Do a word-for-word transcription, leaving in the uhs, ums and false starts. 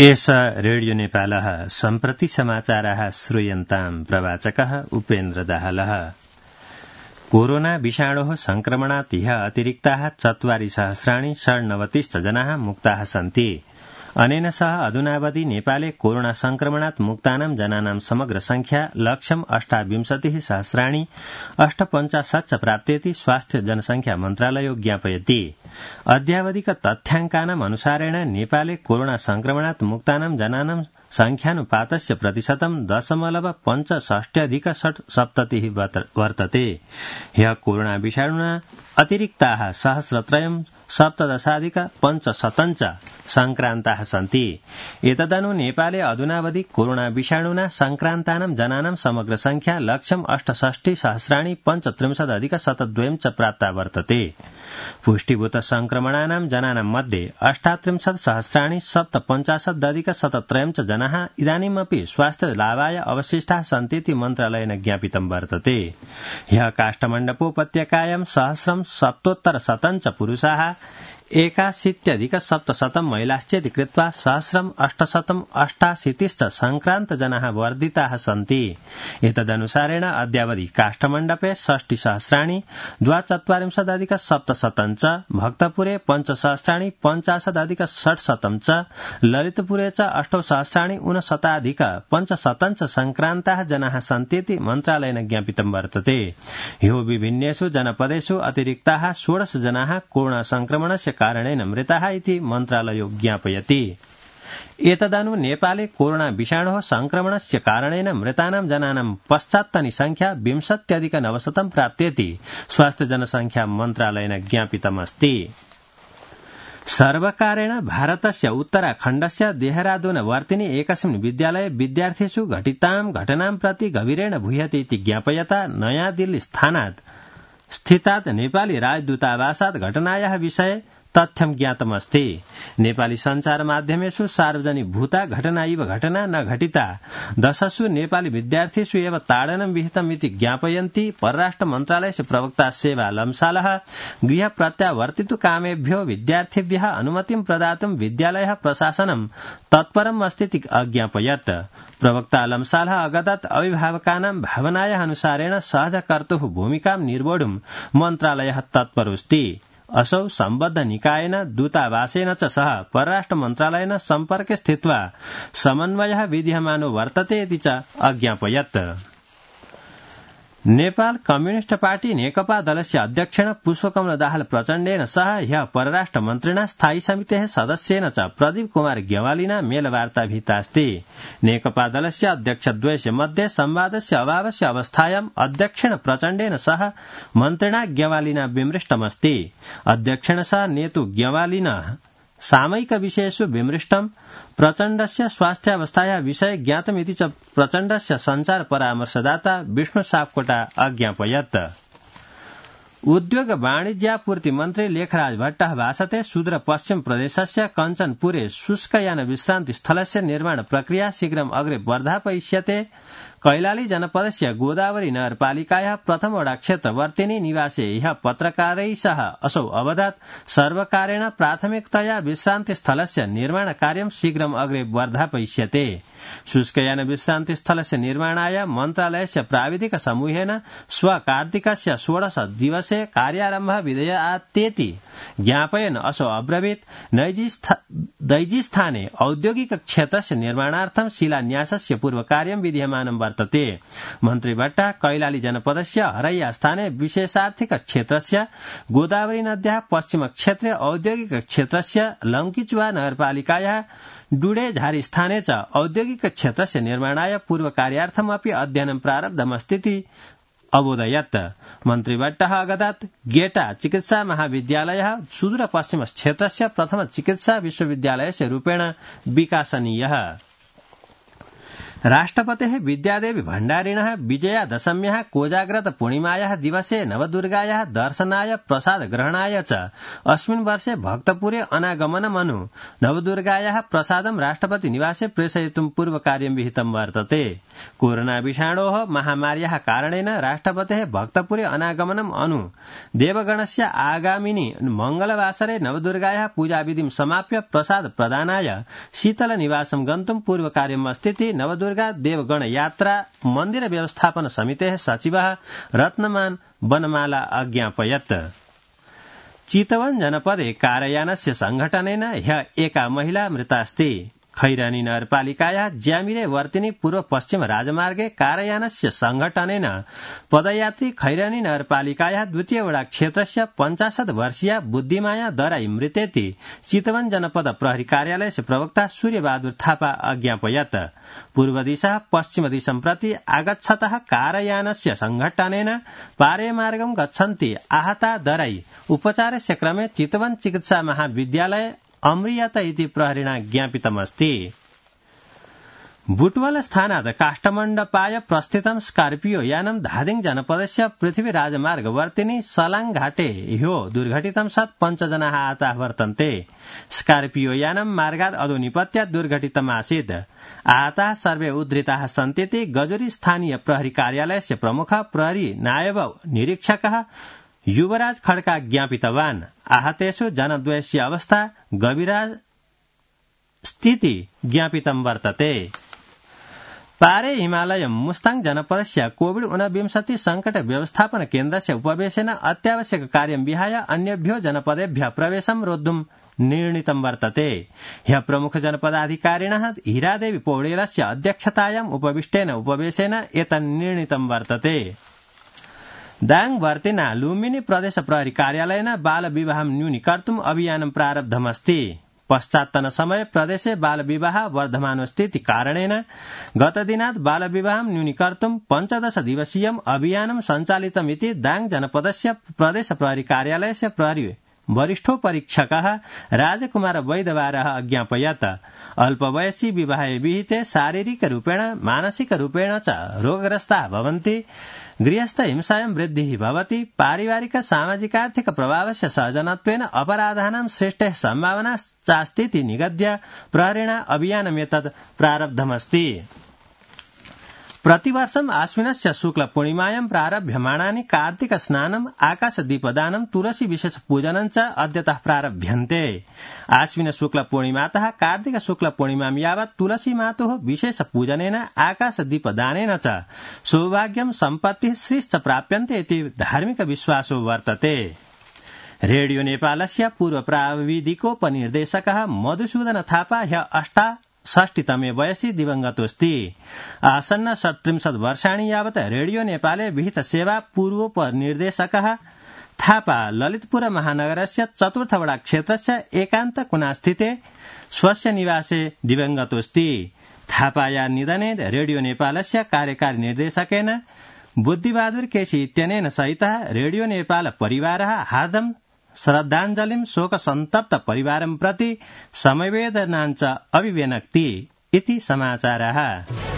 एष रेडियो नेपालः सम्प्रति समाचाराः श्रूयन्ताम् प्रवाचकः उपेन्द्र दाहालः। कोरोना विषाणोः संक्रमणात् ह्य अतिरिक्ताः चत्वारि सहस्राणि षड्नवतिश्च जनाः मुक्ताः सन्ति। अनेन सह अधुनावधि नेपाले कोरोना संक्रमणात् मुक्तानां जनानां समग्र संख्या लक्षम् अष्टाविंशतिः सहस्राणि अष्टपञ्चाशत् च प्राप्तेति स्वास्थ्य जनसंख्या मन्त्रालयो ज्ञापयति। अद्यावधिक तथ्याङ्कानाम् अनुसारेण नेपाले कोरोना संक्रमणात् मुक्तानां जनानां संख्यानुपातस्य प्रतिशतं दशमलव पञ्चषष्ट्यधिक षट्सप्ततिः वर्तते। ह्यः कोरोना विषाणुना अतिरिक्ताः सहस्रत्रयम् सप्तदशाधिक पञ्चशतं च संक्रान्ताः सन्ति। एतदनु नेपाले अधुनावधि कोरोना विषाणुना संक्रान्तानां जनानां समग्र संख्या लक्षम् अष्टषष्टि सहस्राणि पञ्चत्रिंशदधिक शतद्वयम् च प्राप्ता वर्तते। पुष्टिभूत संक्रमणानां जनानां मध्ये अष्टात्रिंशत् सहस्राणि सप्तपञ्चाशदधिक शतत्रयम् च जनाः इदानीमपि स्वास्थ्य लाभाय अवशिष्टाः सन्तीति मन्त्रालयेन ज्ञापितं वर्तते। ह्यः काष्ठमण्डपोपत्यकायां सहस्रं सप्तोत्तर शतं च पुरुषाः एकाशीत्यधिक सप्तशतं महिलाश्चेति कृत्वा सहस्रम् अष्टशतम् अष्टाशीतिश्च संक्रान्त जनाः वर्धिताः सन्ति। एतदनुसारेण अद्यावधि काष्ठमण्डपे षष्टि सहस्राणि द्वाचत्वारिंशदधिक सप्तशतं च, भक्तपुरे पञ्चसहस्राणि पञ्चाशदधिक षट्शतं च, ललितपुरे च अष्टौ सहस्राणि ऊनशताधिक पञ्चशतं च संक्रान्ताः जनाः सन्तीति मन्त्रालयेन ज्ञापितं वर्तते। ह्यो विभिन्नेषु जनपदेषु अतिरिक्ताः षोडश जनाः कोरोना संक्रमणस्य कारणेन मृताः इति मन्त्रालयो ज्ञापयति। एतदनु नेपाले कोरोना विषाणोः संक्रमणस्य कारणेन मृतानां जनानां पश्चात्तनी संख्या विंशत्यधिक नवशतं प्राप्तेति स्वास्थ्य जनसंख्या मन्त्रालयेन ज्ञापितमस्ति। सर्वकारेण भारतस्य उत्तराखण्डस्य देहरादून वर्तिनि एकस्मिन् विद्यालये विद्यार्थिषु घटितां घटनां प्रति गभीरेण भूयते इति ज्ञापयता नयाँ दिल्ली स्थानात् स्थितात् नेपाली राजदूतावासात् घटनायाः विषये तथ्यं ज्ञातमस्ति। नेपाली संचार माध्यमेषु सार्वजनिकभूता घटना इव घटना न घटिता, दशसु नेपाली विद्यार्थिषु एव ताडनं विहितम् इति ज्ञापयन्ति परराष्ट्र मन्त्रालयस्य प्रवक्ता सेवा लम्सालः। गृह प्रत्यावर्तितु कामेभ्यो विद्यार्थिभ्यः अनुमतिं प्रदातुं विद्यालयः प्रशासनं तत्परम् अस्ति अज्ञापयत्। प्रवक्ता लम्सालः अगदत् अभिभावकानां भावनायाः अनुसारेण सहजकर्तुः भूमिकां निर्वोढुं मन्त्रालयः तत्परोऽस्ति। असौ सम्बद्ध निकायेन दूतावासेन च सह परराष्ट्र मन्त्रालयेन सम्पर्के स्थित्वा समन्वयः विद्यमानो वर्तते इति च अज्ञापयत्। नेपाल कम्युनिष्ट पार्टी नेकपा दलस्य अध्यक्षेण पुष्पकमल दाहाल प्रचण्डेन सह ह्यः परराष्ट्र मन्त्रिणा स्थायी समितेः सदस्येन च प्रदीप कुमार ग्यवालिना मेलवार्ता विहितास्ति। नेकपा दलस्य अध्यक्षद्वयस्य मध्ये संवादस्य अभावस्य अवस्थायाम् अध्यक्षेण प्रचण्डेन सह मन्त्रिणा ग्यवालिना विमृष्टमस्ति। अध्यक्षेण सह नेतु ग्यवालिना सामयिक विषयेषु विमृष्टम्। प्रचण्डस्य स्वास्थ्यावस्थायाः विषये ज्ञातमिति च प्रचण्डस्य संचार परामर्शदाता विष्णु सापकोटा अज्ञापयत्। उद्योग वाणिज्यापूर्ति मन्त्री लेखराज भट्टः भाषते सुदूर पश्चिम प्रदेशस्य कञ्चनपुरे शुष्कयान विश्रान्ति स्थलस्य निर्माण प्रक्रिया शीघ्रम् अग्रे वर्धापयिष्यते। कैलाली जनपदस्य गोदावरी नगरपालिकायाः प्रथम वडा क्षेत्रवर्तिनि निवासे ह्यः पत्रकारैः सह असौ अवदत् सर्वकारेण प्राथमिकतया विश्रान्ति स्थलस्य निर्माण कार्यं शीघ्रम् अग्रे वर्धापयिष्यते। शुष्कयान विश्रान्ति स्थलस्य निर्माणाय मन्त्रालयस्य प्राविधिक समूहेन श्व कार्तिकस्य षोडश दिवसे कार्यारम्भः विधेयातेति ज्ञापयन् असौ अब्रवीत् दैजीस्थाने औद्योगिक क्षेत्रस्य निर्माणार्थं शिलान्यासस्य पूर्वकार्यं विधीयमानं वर्तते। मन्त्री भट्टः कैलाली जनपदस्य हरैया स्थाने विशेषार्थिक क्षेत्रस्य गोदावरी नद्याः पश्चिम क्षेत्रे औद्योगिक क्षेत्रस्य लंकीचुवा नगरपालिकायाः डुडे झारी स्थाने च औद्योगिक क्षेत्रस्य निर्माणाय पूर्वकार्यार्थमपि अध्ययनं प्रारब्धमस्तीति अबोधयत्। मन्त्री भट्टः अगदत् गेटा चिकित्सा महाविद्यालयः सुदूर पश्चिम क्षेत्रस्य प्रथम चिकित्सा विश्वविद्यालयस्य रूपेण विकासनीयः। राष्ट्रपतेः विद्यादेवी भण्डारिणः विजयादशम्याः कोजाग्रत पूर्णिमायाः दिवसे नवदुर्गायाः दर्शनाय प्रसाद ग्रहणाय च अस्मिन् वर्षे भक्तपुरे अनागमनमनु नवदुर्गायाः प्रसादं राष्ट्रपति निवासे प्रेषयितुं पूर्वकार्यं विहितं वर्तते। कोरोना विषाणोः महामार्याः कारणेन राष्ट्रपतेः भक्तपुरे अनागमनम् अनु देवगणस्य आगामिनि मंगलवासरे नवदुर्गायाः पूजाविधिं समाप्य प्रसाद प्रदानाय शीतल निवासं गन्तुं पूर्वकार्यम् अस्तीति नवदुर्गा देवगण यात्रा मन्दिर व्यवस्थापन समितेः सचिवः रत्नमान बनमाला अज्ञापयत्। चितवन जनपदे कारयानस्य संघटनेन ह्य एका महिला मृतास्ति। खैरानी नगरपालिकायाः ज्यामिरे वर्तिनी पूर्व पश्चिम राजमार्गे कारयानस्य संघटनेन पदयात्री खैरानी नगरपालिकायाः द्वितीय वडा क्षेत्रस्य पञ्चाशत् वर्षीया बुद्धिमाया दराई मृतेति चितवन जनपद प्रहरी कार्यालयस्य प्रवक्ता सूर्यबहादुर थापा अज्ञापयत्। पूर्व दिशा पश्चिम दिशं प्रति आगच्छतः कारयानस्य संघटनेन पारेमार्गं गच्छन्ति आहता दराई उपचारस्य क्रमे चितवन चिकित्सा महाविद्यालय अम्रियत इति प्रहरिणा ज्ञापितमस्ति। बुटवल स्थानात् काष्ठमण्डपाय प्रस्थितं स्कार्पियो यानं धादिङ जनपदस्य पृथ्वी राजमार्गवर्तिनी सलाङ घाटे ह्यो दुर्घटितं सत् पञ्चजनाः आहताः वर्तन्ते। स्कार्पियो यानं मार्गात् अधो निपत्यात् दुर्घटितमासीत्। आहताः सर्वे उद्धृताः सन्तीति गजुरी स्थानीय प्रहरी कार्यालयस्य प्रमुख प्रहरी नायब निरीक्षकः युवराज खड्का ज्ञापितवान्। आहतेषु जनद्वयस्य अवस्था गभीरा स्थिति ज्ञापितं वर्तते। पारे हिमालय मुस्ताङ जनपदस्य कोविड ऊनविंशति संकट व्यवस्थापन केन्द्रस्य उपवेशेन अत्यावश्यक कार्यं विहाय अन्येभ्यो जनपदेभ्यः प्रवेशं रोद्धुं निर्णीतं वर्तते। ह्यः प्रमुख जनपदाधिकारिणः हीरादेवी पौडेलस्य अध्यक्षतायाम् उपविष्टेन उपवेशेन एतन्निर्णीतं वर्तते। दाङ वर्तिना लुम्बिनी प्रदेश प्रहरी कार्यालयेन बाल विवाहं न्यूनीकर्तुम् अभियानं प्रारब्धमस्ति। पश्चात्तन समय प्रदेशे बाल विवाह वर्धमानस्तीति कारणेन गतदिनात् बाल विवाहं न्यूनीकर्तुम् पञ्चदश दिवसीयम् अभियानं सञ्चालितमिति दाङ जनपदस्य प्रदेश प्रहरी कार्यालयस्य प्रहरी वरिष्ठो परीक्षकः राजकुमार वैद्यवारः अज्ञापयत्। अल्पवयसी विवाहे विहिते शारीरिक रूपेण मानसिक रूपेण च रोगग्रस्ताः भवन्ति। गृहस्थ हिंसायां वृद्धिः भवति। पारिवारिक सामाजिकार्थिक प्रभावस्य सहजनत्वेन अपराधानां सृष्टेः सम्भावना चास्तीति निगद्य प्रहरिणा अभियानमेतत् प्रारब्धमस्ति। प्रतिवर्षम् आश्विनस्य शुक्ल पूर्णिमायां प्रारभ्यमाणानि कार्तिक स्नानम् आकाशदीपदानं तुलसी विशेष पूजनं च अद्यतः प्रारभ्यन्ते। आश्विन शुक्ल पूर्णिमातः कार्तिक शुक्ल पूर्णिमां यावत् तुलसी मातुः विशेष पूजनेन आकाशदीपदानेन च सौभाग्यं सम्पत्तिः श्रीश्च प्राप्यन्ते इति धार्मिक विश्वासो वर्तते। रेडियो नेपालस्य पूर्व प्राविधिकोपनिर्देशकः मधुसूदन थापा ह्य अष्टा षष्टितमे वयसि दिवंगतोऽस्ति। आसन्न षट्त्रिंशत् वर्षाणि यावत् रेडियो नेपाले विहित सेवा पूर्वोपनिर्देशकः थापा ललितपुर महानगरस्य चतुर्थवडा क्षेत्रस्य एकान्त कुनास्थिते स्वस्य निवासे दिवंगतोऽस्ति। थापाया निधने रेडियो नेपालस्य कार्यकारी निर्देशकेन बुद्धिबहादुर केसी इत्यनेन सहितः रेडियो नेपाल परिवारः हार्दं श्रद्धाञ्जलिं शोकसन्तप्त परिवारं प्रति समवेदनाञ्च अभिव्यनक्ति इति समाचारः।